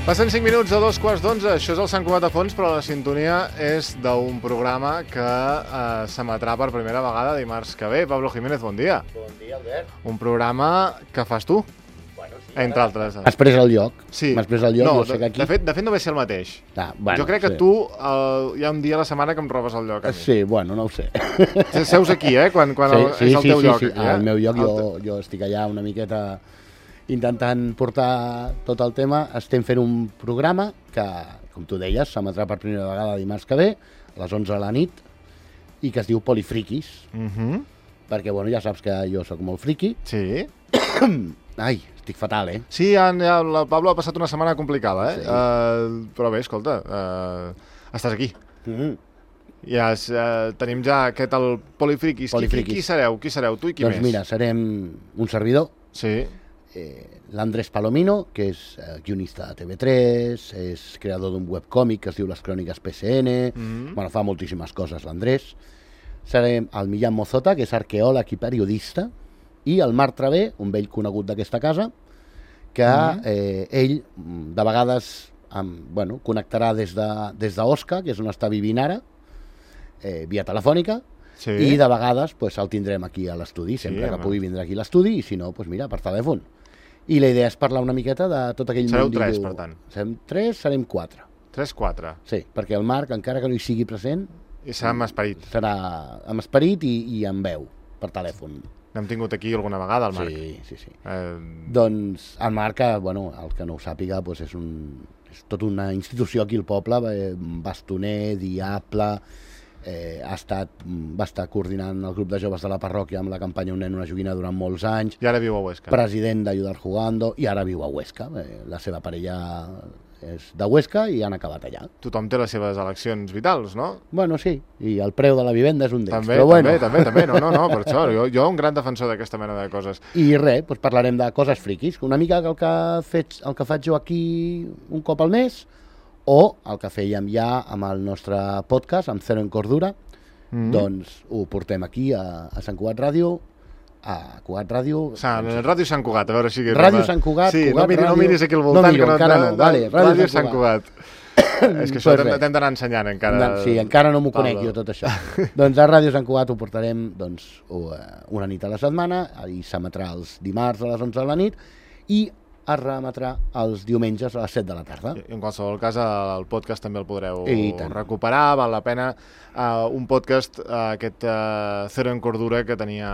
Passen 5 minuts de 2:15, això és el Sant Cugat a fons, però la sintonia és d'un programa que s'emetrà per primera vegada dimarts que ve. Pablo Jiménez, bon dia. Bon dia, Albert. Un programa que fas tu, Bueno, sí, entre altres. M'has pres el lloc. Sí. M'has pres el lloc, No, jo sé que aquí... de fet no ve ser el mateix. Bueno, Jo crec que sí. tu hi ha un dia a la setmana que em robes el lloc a mi. Sí, bueno, no ho sé. Seus aquí, quan Sí, és el teu lloc. sí. Aquí, Al meu lloc jo estic allà una miqueta intentant portar tot el tema. Estem fent un programa que, com tu deies, s'emetrà per primera vegada dimarts que ve, a les 11 de la nit, i que es diu Polifriquis, perquè, bueno, ja saps que jo sóc molt friqui. Sí. Ai, estic fatal, eh? Sí, el Pablo ha passat una setmana complicada, Sí. Però bé, escolta, estàs aquí. Ja tenim ja aquest el Polifriquis. Polifriquis. Qui sereu? Tu i qui Doncs més? mira, serem un servidor, Sí. l'Andrés Palomino, que és guionista de TV3, és creador d'un webcòmic que es diu Les Cròniques PSN, bueno, fa moltíssimes coses l'Andrés. Serem el Millán Mozota, que és arqueòleg i periodista, i el Marc Travé, un vell conegut d'aquesta casa, que ell de vegades connectarà des d'Osca, que és on està vivint ara, via telefònica, Sí. i de vegades el tindrem aquí a l'estudi, sempre que home. pugui vindre aquí a l'estudi, i si no, mira, per telèfon. I la idea és parlar una miqueta de tot aquell Sereu mundillo. 3, per tant. Serem 3, serem 4. 3-4. Sí, perquè el Marc, encara que no hi sigui present, I serà amb esperit. serà amb esperit i amb veu, per telèfon. N'hem tingut aquí alguna vegada, el Marc. Sí. Doncs el Marc, el que no ho sàpiga, és tota una institució aquí al poble, bastoner, diable, va estar coordinant el grup de joves de la parròquia amb la campanya Un nen, una joguina durant molts anys, I ara viu a Huesca. president d'Ayudar Jugando, i ara viu a Huesca. La seva parella és de Huesca i han acabat allà. Tothom té les seves eleccions vitals, no? Bueno, sí, i el preu de la vivenda és un d'ells. També, però bueno. també. No, per això. Jo un gran defensor d'aquesta mena de coses. I res, parlarem de coses friquis, una mica el que faig jo aquí un cop al mes, o el que fèiem ja amb el nostre podcast, amb Zero en Cordura, doncs ho portem aquí a Sant Cugat Ràdio, a Cugat Ràdio... Ràdio Sant Cugat, a veure si... Ràdio Sant Cugat, sí, Cugat no Ràdio... miris aquí al voltant. No miro, encara no, vale, Ràdio Sant Cugat. És que això Pues t'hem d'anar ensenyant encara. Sí, encara no m'ho conec jo tot això. Doncs a Ràdio Sant Cugat ho portarem una nit a la setmana, i s'emetrà els dimarts a les 11 de la nit, i es reemetrà els diumenges a les 7 de la tarda. I en qualsevol cas, el podcast també el podreu I tant. recuperar, val la pena. Un podcast, aquest Zero en Cordura, que tenia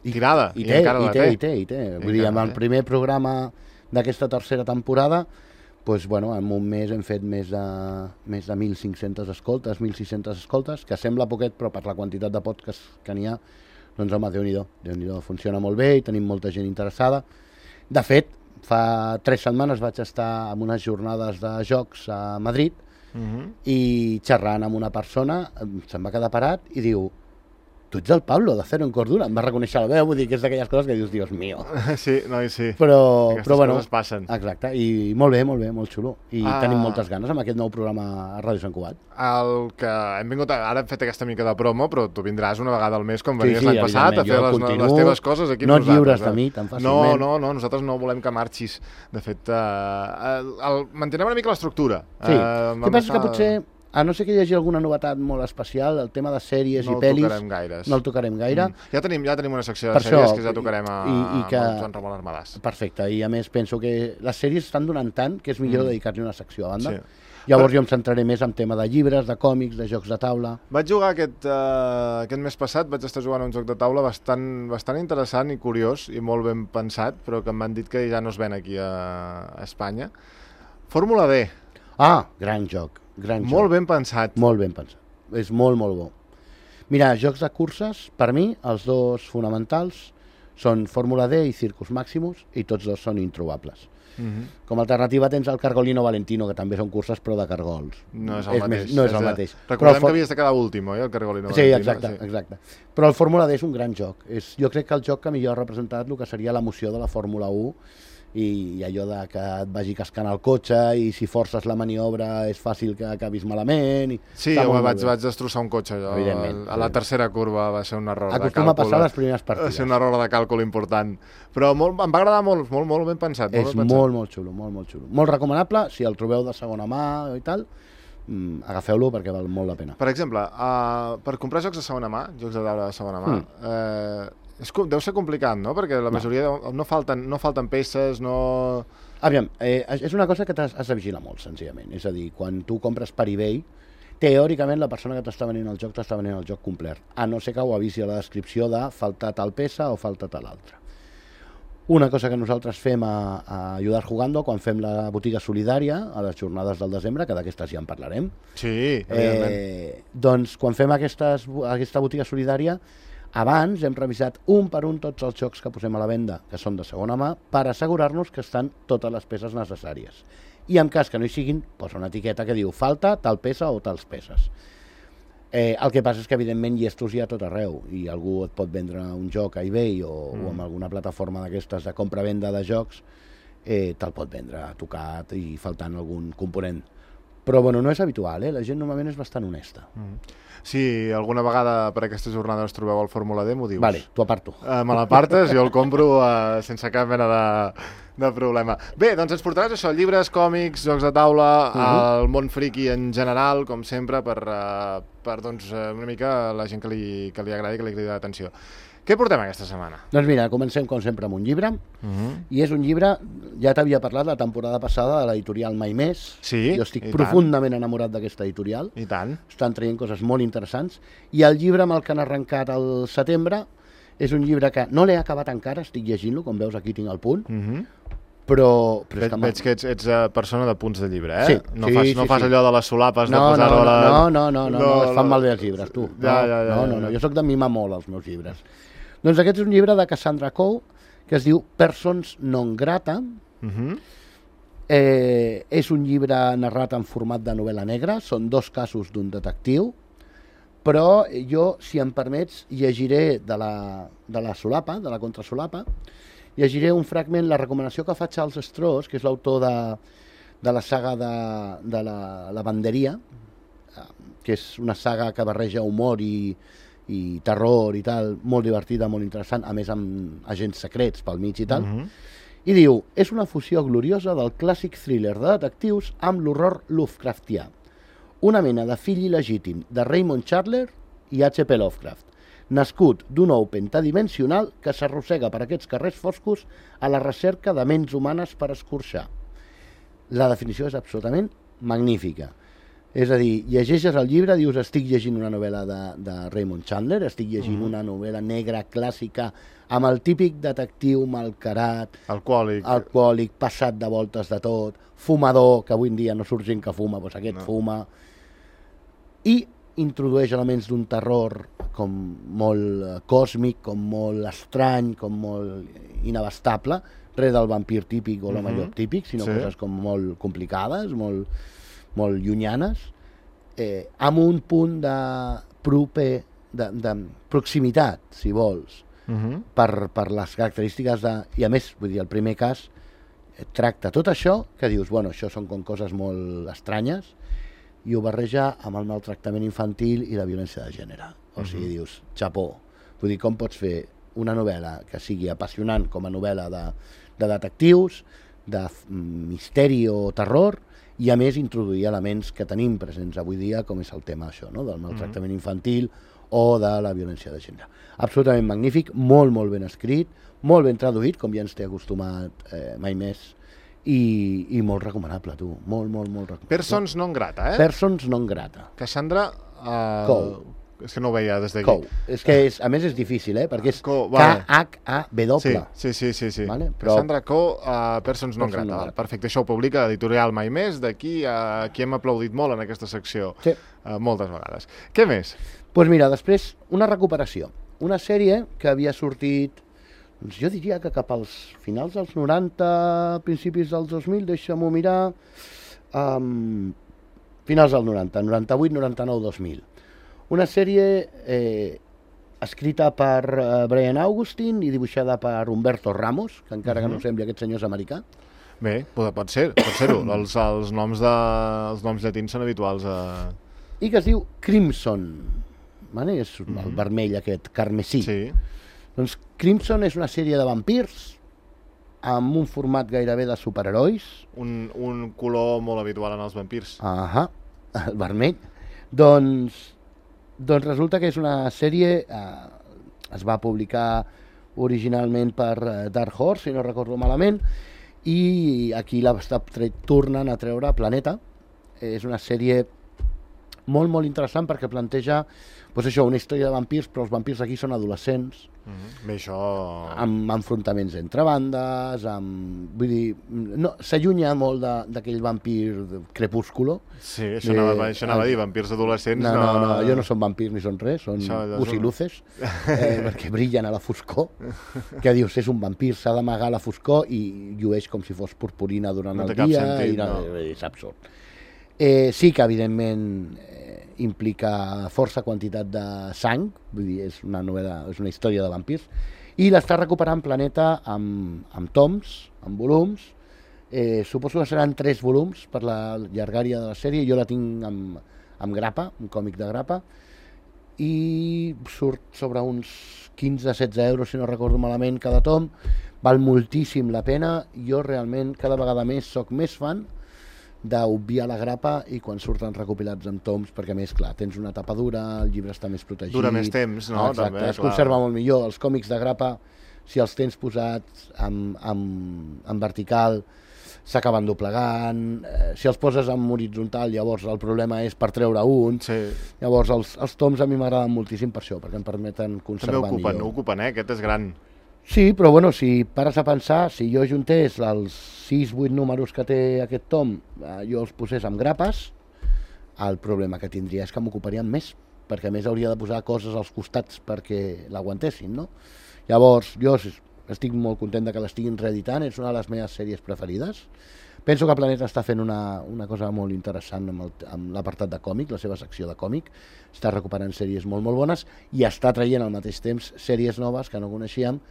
tirada. I encara la té. té. Vull dir, amb el primer programa d'aquesta tercera temporada, en un mes hem fet més de 1.500 escoltes, 1.600 escoltes, que sembla poquet, però per la quantitat de podcasts que n'hi ha, doncs home, Déu-n'hi-do, funciona molt bé i tenim molta gent interessada. De fet, fa 3 setmanes vaig estar en unes jornades de jocs a Madrid i xerrant amb una persona se'm va quedar parat i diu: tu ets el Pablo de Zero en Cordura. Em va reconèixer la veu, vull dir que és d'aquelles coses que dius, Dios mío. Sí, sí. Però Aquestes bueno, coses passen. exacte, i molt bé, molt xulo. I tenim moltes ganes amb aquest nou programa a Ràdio Sant Cugat. El que hem vingut, ara hem fet aquesta mica de promo, però tu vindràs una vegada al mes, com venies Sí, l'any passat, a fer evidentment, les teves coses aquí amb no et nosaltres. lliures de mi tan fàcilment. No, nosaltres no volem que marxis. De fet, mantenem una mica l'estructura. Sí, el que passa és que potser, a no ser que hi hagi alguna novetat molt especial, el tema de sèries i pel·lis... No el tocarem gaire. Ja tenim una secció de sèries que ja tocarem amb Joan Ramon Armadàs. Perfecte, i a més penso que les sèries estan donant tant que és millor dedicar-li una secció a banda. Llavors jo em centraré més en tema de llibres, de còmics, de jocs de taula... Vaig jugar aquest mes passat, vaig estar jugant a un joc de taula bastant interessant i curiós i molt ben pensat, però que em van dit que ja no es ven aquí a Espanya. Fórmula D. Gran joc. Molt ben pensat. Molt ben pensat. És molt bo. Mira, jocs de curses, per mi, els dos fonamentals són Fórmula D i Circus Maximus, i tots dos són introbables. Com a alternativa tens el Cargolino Valentino, que també són curses, però de cargols. No és el mateix. No és el mateix. Recordem que havies de quedar últim, oi, el Cargolino Valentino? Sí, exacte. Però el Fórmula D és un gran joc. Jo crec que el joc que millor ha representat el que seria l'emoció de la Fórmula 1 i allò de que et vagi cascant el cotxe i si forces la maniobra és fàcil que acabis malament. Sí, jo vaig destrossar un cotxe allò. A la tercera curva va ser un error de càlcul. Acostuma a passar les primeres partides. Va ser un error de càlcul important. Però em va agradar molt, molt ben pensat. És molt xulo, molt xulo. Molt recomanable, si el trobeu de segona mà i tal, agafeu-lo perquè val molt la pena. Per exemple, per comprar jocs de segona mà, jocs de taula de segona mà, deu ser complicat, no? Perquè la majoria no falten peces, no... Aviam, és una cosa que has de vigilar molt, senzillament. És a dir, quan tu compres per eBay, teòricament la persona que t'està venint el joc complet, a no ser que ho avisi a la descripció de falta tal peça o falta tal altra. Una cosa que nosaltres fem a Ayudar Jugando, quan fem la botiga solidària, a les jornades del desembre, que d'aquestes ja en parlarem. Sí, evidentment. Doncs quan fem aquesta botiga solidària, abans hem revisat un per un tots els jocs que posem a la venda, que són de segona mà, per assegurar-nos que estan totes les peces necessàries. I en cas que no hi siguin, posa una etiqueta que diu falta tal peça o tals peces. El que passa és que evidentment llestos hi ha tot arreu i algú et pot vendre un joc a eBay o en alguna plataforma d'aquestes de compra-venda de jocs, te'l pot vendre tocat i faltant algun component. Però bueno, no és habitual, la gent normalment és bastant honesta. Si alguna vegada per aquesta jornada us trobeu el Fórmula D, m'ho dius. Vale, t'ho aparto. Me l'apartes, jo el compro sense cap mena de problema. Bé, doncs ens portaràs això, llibres, còmics, jocs de taula, el món friki en general, com sempre, per doncs, una mica la gent que li agradi, que li cridi l'atenció. Què portem aquesta setmana? Doncs mira, comencem com sempre amb un llibre, i és un llibre, ja t'havia parlat la temporada passada de l'editorial Mai Més. Sí, jo estic profundament enamorat d'aquesta editorial. I tant. Estan traient coses molt interessants. I el llibre amb el que han arrencat al setembre és un llibre que no l'he acabat encara, estic llegint-lo, com veus aquí tinc el punt, però veig que ets persona de punts de llibre, Sí, no fas allò de les solapes de posar-ho a la... No, es fan malbé els llibres, tu. No, jo soc de mimar molt els meus llibres. Doncs aquest és un llibre de Cassandra Coe, que es diu Persons non grata. És un llibre narrat en format de novel·la negra, són 2 casos d'un detectiu, però jo, si em permets, llegiré de la solapa, de la contrasolapa, llegiré un fragment, la recomanació que fa Charles Stross, que és l'autor de la saga de la lavanderia, que és una saga que barreja humor i terror i tal, molt divertida, molt interessant, a més amb agents secrets pel mig i tal, i diu, és una fusió gloriosa del clàssic thriller de detectius amb l'horror Lovecraftià, una mena de fill il·legítim de Raymond Chandler i H.P. Lovecraft, nascut d'un ou pentadimensional que s'arrossega per aquests carrers foscos a la recerca de ments humanes per escorxar. La definició és absolutament magnífica. És a dir, llegeixes el llibre, dius estic llegint una novel·la de Raymond Chandler, estic llegint una novel·la negra clàssica amb el típic detectiu malcarat, alcohòlic, passat de voltes de tot, fumador, que avui en dia no surt gent que fuma, doncs aquest fuma, i introdueix elements d'un terror com molt còsmic, com molt estrany, com molt inabastable, res del vampir típic o l'home llop típic, sinó coses com molt complicades, molt llunyanes, amb un punt de proximitat, si vols, per les característiques i a més, vull dir, el primer cas tracta tot això, que dius, bueno, això són com coses molt estranyes, i ho barreja amb el maltractament infantil i la violència de gènere. O sigui, dius, xapó. Vull dir, com pots fer una novel·la que sigui apassionant com a novel·la de detectius, de misteri o terror, i a més introduir elements que tenim presents avui dia, com és el tema això, no? Del maltractament infantil o de la violència de gènere. Absolutament magnífic, molt ben escrit, molt ben traduït, com ja ens té acostumat Mai Més, i molt recomanable, tu, molt recomanable. Persons non grata, Persons non grata. Cassandra Coe. És que no ho veia des d'aquí. Coe. És que a més és difícil, perquè és K-H-A-W. Sí. Vale? Cassandra Coe, Persons non grata. Perfecte, això ho publica l'editorial Mai Més, d'aquí a qui hem aplaudit molt en aquesta secció moltes vegades. Què més? Doncs mira, després una recuperació. Una sèrie que havia sortit, jo diria que cap als finals dels 90, principis dels 2000, deixa'm-ho mirar, finals del 90, 98, 99, 2000. Una sèrie escrita per Brian Augustine i dibuixada per Humberto Ramos, que encara que no sembli aquest senyor és americà. Bé, pot ser-ho. Els noms llatins són habituals a... I que es diu Crimson, vale? És el vermell aquest, carmesí. Sí. Doncs Crimson és una sèrie de vampirs amb un format gairebé de superherois. Un color molt habitual en els vampirs. El vermell. Doncs resulta que és una sèrie, es va publicar originalment per Dark Horse, si no recordo malament, i aquí l'està tornant a treure Planeta. És una sèrie molt, molt interessant perquè planteja una història de vampirs, però els vampirs aquí són adolescents. Bé, això... Amb enfrontaments entre bandes, vull dir, no, s'allunya molt d'aquell vampir crepúsculo. Sí, això anava a dir, vampirs adolescents... No, jo no són vampirs ni són res, són busiluces, perquè brillen a la foscor, que dius, és un vampir, s'ha d'amagar a la foscor i llueix com si fos purpurina durant el dia, és absurd. Sí que, evidentment, implica força quantitat de sang, vull dir, és una història de vampirs, i l'està recuperant Planeta amb toms, amb volums. Suposo que seran 3 volums per la llargària de la sèrie, jo la tinc amb grapa, un còmic de grapa, i surt sobre uns 15-16 euros, si no recordo malament, cada tom. Val moltíssim la pena. Jo realment cada vegada més soc més fan d'obviar la grapa i quan surten recopilats amb toms, perquè a més, clar, tens una tapa dura, el llibre està més protegit. Dura més temps, no? Exacte, també, es conserva molt millor. Els còmics de grapa, si els tens posats en vertical, s'acaben doblegant. Si els poses en horitzontal, llavors el problema és per treure un. Sí. Llavors els toms a mi m'agraden moltíssim per això, perquè em permeten conservar millor. També ocupen, aquest és gran. Sí, però bueno, si pares a pensar, si jo juntés els 6-8 números que té aquest tom, jo els posés amb grapes, el problema que tindria és que m'ocuparien més, perquè a més hauria de posar coses als costats perquè l'aguantessin, no? Llavors, jo estic molt content que l'estiguin reeditant, és una de les meves sèries preferides. Penso que Planeta està fent una cosa molt interessant amb l'apartat de còmic, la seva secció de còmic, està recuperant sèries molt, molt bones i està traient al mateix temps sèries noves que no coneixíem,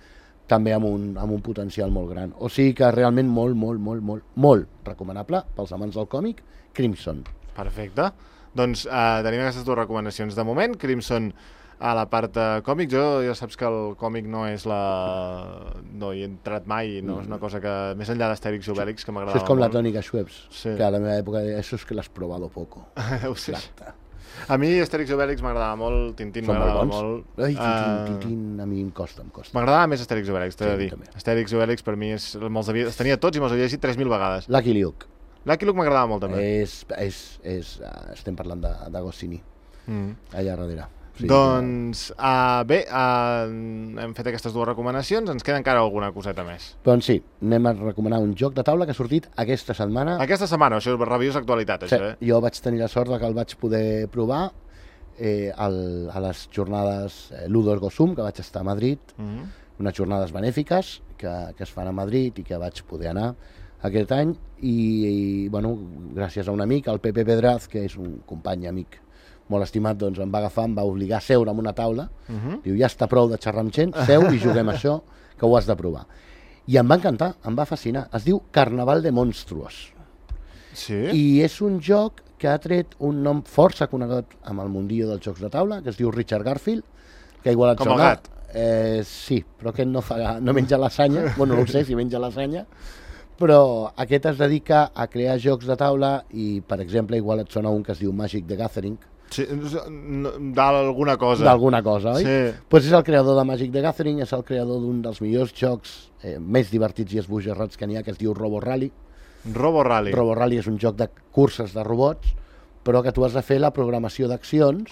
també amb un potencial molt gran. O sigui que realment molt recomanable pels amants del còmic, Crimson. Perfecte. Doncs tenim aquestes 2 recomanacions de moment. Crimson a la part còmic. Jo ja saps que el còmic no hi he entrat mai, no és una cosa que, més enllà d'Astèrix i Obèlix, que m'agradava molt. Això és com la Tònica Schweppes, que a la meva època això és que l'has probado poco. Deu ser. A mi Astèrix i Obèlix m'agradava molt, Tintín m'agradava molt. Ai, Tintín a mi em costa. M'agradava més Astèrix i Obèlix, t'he de dir. Astèrix i Obèlix per mi els tenia tots i me'ls havia llegit 3.000 vegades. Lucky Luke. Lucky Luke m'agradava molt també. Estem parlant d'Agostini, allà darrere. Sí, doncs, bé, hem fet aquestes 2 recomanacions, ens queda encara alguna coseta més. Doncs sí, anem a recomanar un joc de taula que ha sortit aquesta setmana. Aquesta setmana, això és reviews d'actualitat, això, sí, jo vaig tenir la sort que el vaig poder provar a les jornades Ludo Ergo Sum, que vaig estar a Madrid, unes jornades benèfiques que es fan a Madrid i que vaig poder anar aquest any, i bueno, gràcies a un amic, el Pepe Pedraz, que és un company amic molt estimat, doncs em va agafar, em va obligar a seure en una taula, diu, ja està prou de xerrar amb gent, seu i juguem això, que ho has de provar. I em va encantar, em va fascinar. Es diu Carnaval de Monstruos. Sí? I és un joc que ha tret un nom força conegut amb el mundillo dels jocs de taula, que es diu Richard Garfield, que igual et sona. Com el gat? Sí, però aquest no menja lasanya, bueno, no ho sé si menja lasanya, però aquest es dedica a crear jocs de taula i, per exemple, igual et sona un que es diu Magic the Gathering. Sí, d'alguna cosa. D'alguna cosa, oi? Sí. Pues és el creador de Magic the Gathering, és el creador d'un dels millors jocs més divertits i esbojarrats que n'hi ha, que es diu Robo Rally. Robo Rally. Robo Rally és un joc de curses de robots, però que tu has de fer la programació d'accions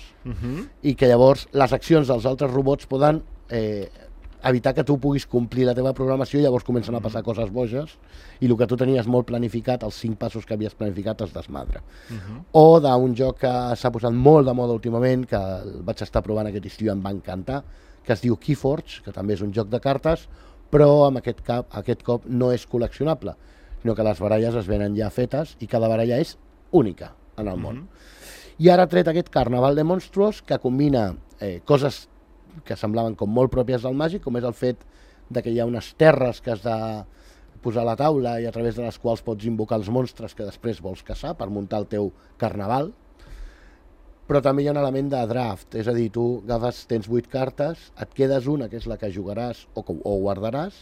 i que llavors les accions dels altres robots poden evitar que tu puguis complir la teva programació i llavors comencen a passar coses boges i el que tu tenies molt planificat, els 5 passos que havies planificat, es desmadra. O d'un joc que s'ha posat molt de moda últimament, que el vaig estar provant aquest estiu i em va encantar, que es diu Keyforge, que també és un joc de cartes, però amb aquest cop no és col·leccionable, sinó que les baralles es venen ja fetes i cada baralla és única en el món. I ara ha tret aquest Carnaval de Monstruos, que combina coses que semblaven com molt pròpies del màgic, com és el fet de que hi ha unes terres que has de posar a la taula i a través de les quals pots invocar els monstres que després vols caçar per muntar el teu carnaval. Però també hi ha un element de draft, és a dir, tu tens 8 cartes, et quedes una, que és la que jugaràs o guardaràs,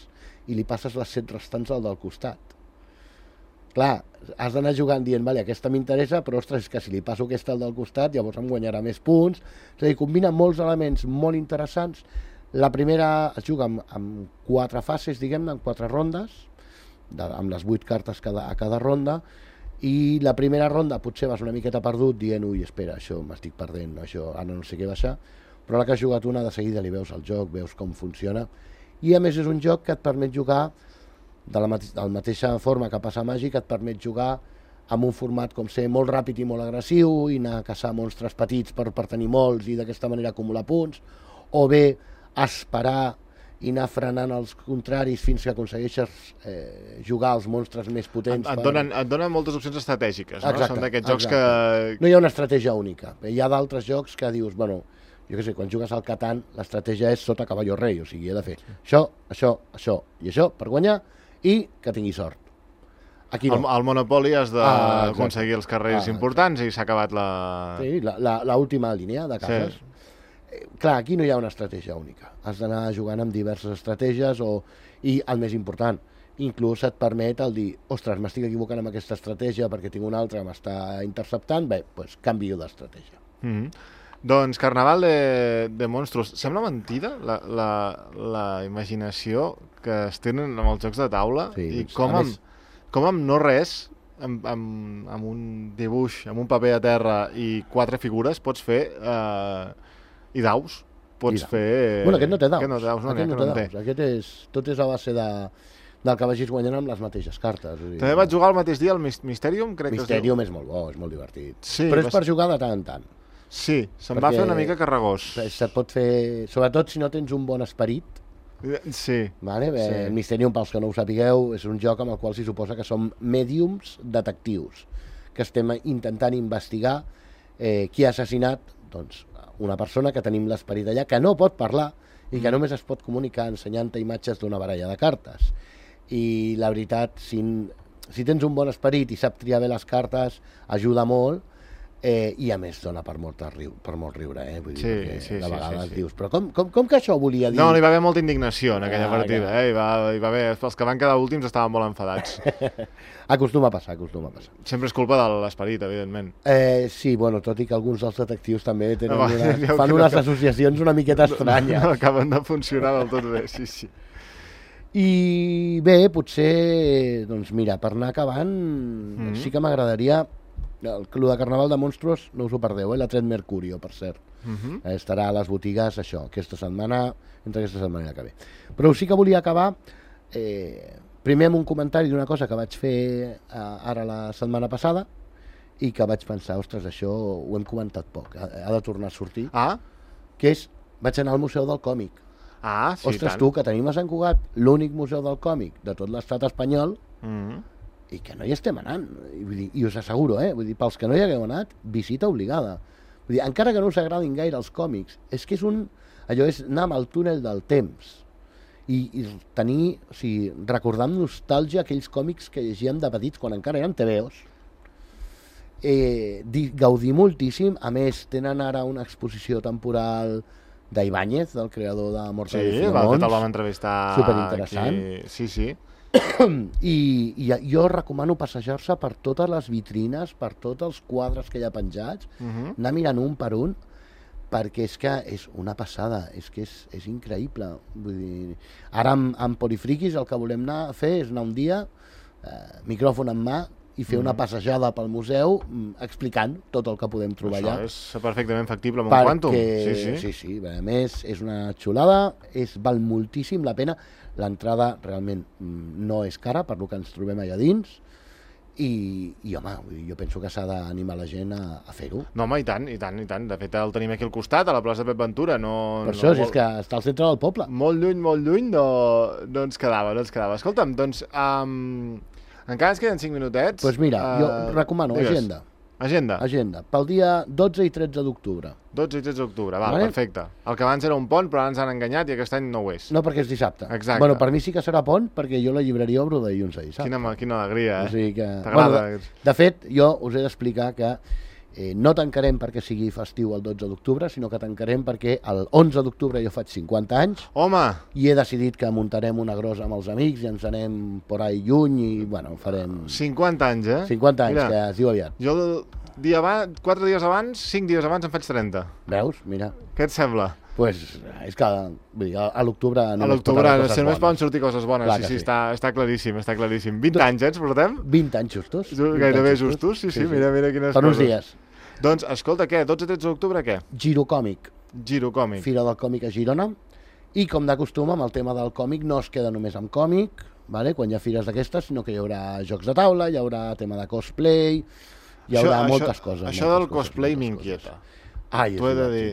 i li passes les 7 restants al del costat. Clar, has d'anar jugant dient, vale, aquesta m'interessa, però ostres, és que si li passo aquesta al del costat, llavors em guanyarà més punts. És a dir, combina molts elements molt interessants. La primera es juga amb 4 fases, diguem-ne, en 4 rondes, amb les 8 cartes a cada ronda, i la primera ronda potser vas una miqueta perdut dient, ui, espera, això m'estic perdent, això ara no sé què baixar, però la que has jugat una de seguida li veus el joc, veus com funciona, i a més és un joc que et permet jugar de la mateixa forma que passa a Màgic, et permet jugar amb un format com ser molt ràpid i molt agressiu i anar a caçar monstres petits per tenir molts i d'aquesta manera acumular punts, o bé esperar i anar frenant els contraris fins que aconsegueixes jugar als monstres més potents. Et donen moltes opcions estratègiques, no? Exacte, són d'aquests jocs que... No hi ha una estratègia única. Hi ha d'altres jocs que dius, bueno, jo què sé, quan jugues al Catan, l'estratègia és sota cavall o rei, o sigui, he de fer això, això, això i això per guanyar i que tingui sort. Aquí no. Al Monopoly has d'aconseguir els carrers importants i s'ha acabat la... Sí, l'última línia de cases. Sí. Clar, aquí no hi ha una estratègia única. Has d'anar jugant amb diverses estratègies i el més important, inclús et permet el dir, ostres, m'estic equivocant amb aquesta estratègia perquè tinc una altra que m'està interceptant, bé, doncs canvio d'estratègia. Doncs Carnaval de Monstruos. Sembla mentida la imaginació que es tenen amb els jocs de taula i com amb no res, amb un dibuix, amb un paper a terra i 4 figures pots fer... I daus. Pots fer... Bueno, aquest no té daus. Aquest no té daus. Aquest tot és a base del que vagis guanyant amb les mateixes cartes. També vaig jugar el mateix dia al Mysterium, crec que es diu. Mysterium és molt bo, és molt divertit. Sí, però és per jugar de tant en tant. Sí, se'm va fer una mica carregós. Se't pot fer... Sobretot si no tens un bon esperit. Sí. Vale? El Mysterium, pels que no ho sapigueu, és un joc amb el qual s'hi suposa que som mèdiums detectius, que estem intentant investigar qui ha assassinat, doncs, una persona que tenim l'esperit allà, que no pot parlar i que només es pot comunicar ensenyant-te imatges d'una baralla de cartes. I la veritat, si tens un bon esperit i sap triar bé les cartes, ajuda molt, i a més dona per molt riure, vull dir, de vegades dius, però com que això volia dir? No, hi va haver molta indignació en aquella partida, hi va haver, els que van quedar últims estaven molt enfadats. Acostuma a passar. Sempre és culpa de l'esperit, evidentment. Sí, bueno, tot i que alguns dels detectius també fan unes associacions una miqueta estranyes. No acaben de funcionar del tot bé, sí. I bé, potser, doncs mira, per anar acabant, sí que m'agradaria... El de Carnaval de Monstruos no us ho perdeu, l'ha tret Mercurio, per cert. Estarà a les botigues, això, entre aquesta setmana i la que ve. Però sí que volia acabar primer amb un comentari d'una cosa que vaig fer ara la setmana passada i que vaig pensar, ostres, això ho hem comentat poc, ha de tornar a sortir, que és, vaig anar al Museu del Còmic. Sí, ostres, tu, que tenim a Sant Cugat l'únic museu del còmic de tot l'estat espanyol, i que no hi estem anant, i us asseguro, vull dir, pels que no hi hagueu anat, visita obligada. Vull dir, encara que no us agradin gaire els còmics, és que allò és anar amb el túnel del temps i tenir, o sigui, recordar amb nostàlgia aquells còmics que llegíem de petits quan encara eren TVOs. Gaudir moltíssim, a més tenen ara una exposició temporal d'Ibáñez, del creador de Mortal i Filemons. Sí, el vam entrevistar. Superinteressant. Sí. I jo recomano passejar-se per totes les vitrines, per tots els quadres que hi ha penjats, anar mirant un per un, perquè és que és una passada, és que és increïble. Vull dir, ara amb Polifriquis el que volem anar a fer és anar un dia, micròfon en mà, i fer una passejada pel museu explicant tot el que podem trobar allà. Això és perfectament factible amb un quàntum. Sí, a més és una xulada, val moltíssim la pena. L'entrada realment no és cara per lo que ens trobem allà dins i home, jo penso que s'ha d'animar la gent a fer-ho. No, home, i tant. De fet, el tenim aquí al costat, a la plaça Pep Ventura. Per això, és que està al centre del poble. Molt lluny no ens quedava. Escolta'm, doncs, encara ens queden 5 minutets. Doncs mira, jo recomano Agenda. Agenda. Pel dia 12 i 13 d'octubre. 12 i 13 d'octubre, perfecte. El que abans era un pont, però ara ens han enganyat i aquest any no ho és. No, perquè és dissabte. Exacte. Bueno, per mi sí que serà pont, perquè jo la llibreria obro de dilluns a dissabte. Quina alegria, O sigui que... T'agrada? De fet, jo us he d'explicar que no tancarem perquè sigui festiu el 12 d'octubre, sinó que tancarem perquè el 11 d'octubre jo faig 50 anys. Home! I he decidit que muntarem una grossa amb els amics i ens anem por ahí lluny i, bueno, farem... 50 anys, 50 anys, Mira, que es diu aviat. Jo 4 dies abans, 5 dies abans em faig 30. Veus? Mira. Què et sembla? Pues és que vull dir, a l'octubre... A l'octubre només poden sortir coses bones. Clar sí, està claríssim, està claríssim. 20 anys, ens portem? 20 anys justos. Gairebé justos, sí, mira quines coses. Per uns dies. Doncs, escolta, què? 12-13 d'octubre, què? Girocòmic. Girocòmic. Fira del còmic a Girona. I, com de costum, amb el tema del còmic no es queda només amb còmic, vale? Quan hi ha fires d'aquestes, sinó que hi haurà jocs de taula, hi haurà tema de cosplay, hi haurà moltes coses. Això del cosplay m'inquieta. Ai,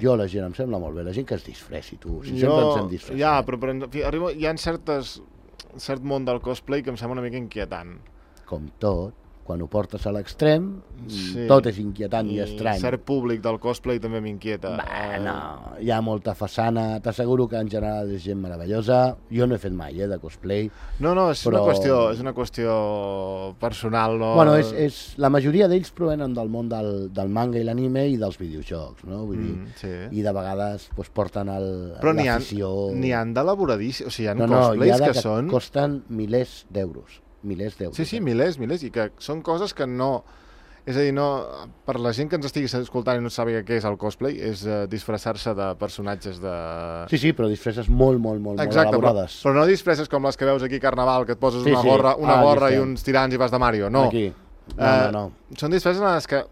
jo la gent em sembla molt bé, la gent que es disfressi, tu. Si sempre ens hem disfressat. Ja, però hi ha cert món del cosplay que em sembla una mica inquietant. Com tot. Quan ho portes a l'extrem, tot és inquietant i estrany. I cert públic del cosplay també m'inquieta. No, hi ha molta façana, t'asseguro que en general és gent meravellosa. Jo no he fet mai, de cosplay. No, és una qüestió personal, no? Bueno, la majoria d'ells provenen del món del manga i l'anime i dels videojocs, no? Vull dir, i de vegades porten l'afició... Però n'hi ha d'elaboradíssim, o sigui, hi ha cosplays que són... costen milers d'euros. Sí, milers, i que són coses que no... És a dir, no, per la gent que ens estigui escoltant i no sàpiga què és el cosplay, és disfressar-se de personatges de... Sí, però disfresses molt elaborades. Però no disfresses com les que veus aquí a Carnaval, que et poses una gorra i uns tirants i vas de Mario, no. Aquí. No. Són disfresses en les que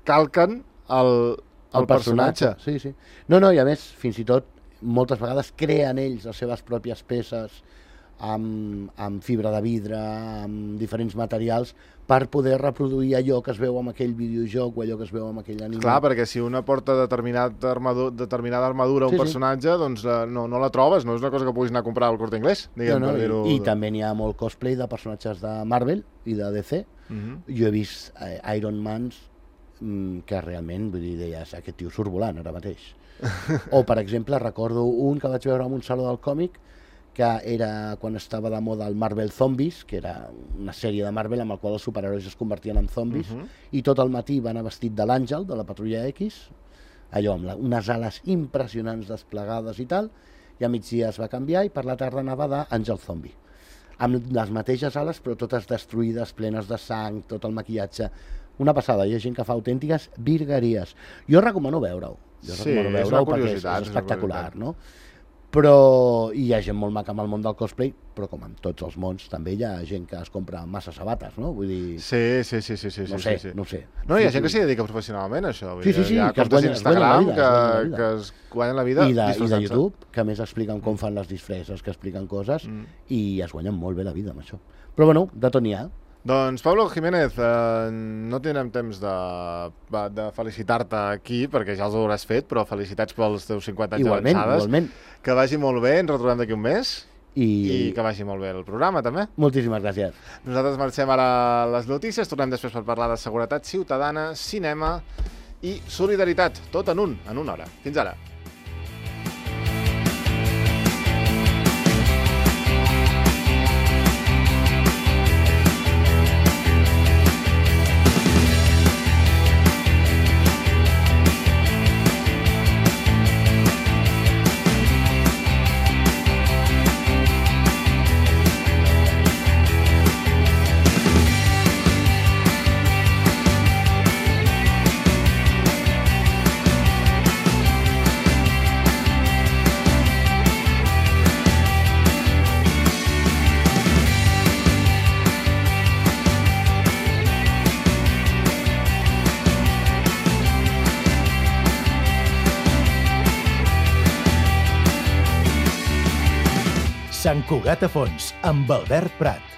calquen el personatge. Sí. No, i a més, fins i tot, moltes vegades creen ells les seves pròpies peces amb fibra de vidre, amb diferents materials, per poder reproduir allò que es veu en aquell videojoc o allò que es veu en aquell anime. Clar, perquè si una porta determinada armadura a un personatge, doncs no la trobes, no és una cosa que puguis anar a comprar al Corte Inglés. I també n'hi ha molt cosplay de personatges de Marvel i de DC. Jo he vist Iron Mans que realment, vull dir, deies, aquest tio surt volant ara mateix. O, per exemple, recordo un que vaig veure en un saló del còmic que era quan estava de moda el Marvel Zombies, que era una sèrie de Marvel amb el qual els superherois es convertien en zombis, i tot el matí va anar vestit de l'Àngel, de la Patrulla X, allò amb unes ales impressionants desplegades i tal, i a migdia es va canviar i per la tarda anava d'Àngel Zombi, amb les mateixes ales però totes destruïdes, plenes de sang, tot el maquillatge, una passada. Hi ha gent que fa autèntiques virgueries. Jo recomano veure-ho, perquè és espectacular, no? Però hi ha gent molt maca amb el món del cosplay, però com en tots els mons també hi ha gent que es compra massa sabates, no? Vull dir... Sí. No sé. No, hi ha gent que s'hi dedica professionalment a això. Sí, hi ha comptes d'Instagram que es guanyen la vida disfressant-se. I de YouTube, que a més expliquen com fan les disfresses, que expliquen coses, i es guanyen molt bé la vida amb això. Però bueno, de tot n'hi ha. Doncs, Pablo Jiménez, no tindrem temps de felicitar-te aquí, perquè ja els hauràs fet, però felicitats pels teus 50 anys d'avançades. Igualment. Que vagi molt bé, ens retrobem d'aquí un mes, i que vagi molt bé el programa, també. Moltíssimes gràcies. Nosaltres marxem ara a les notícies, tornem després per parlar de seguretat ciutadana, cinema i solidaritat, tot en una hora. Fins ara. Sant Cugat a Fons, amb Albert Prat.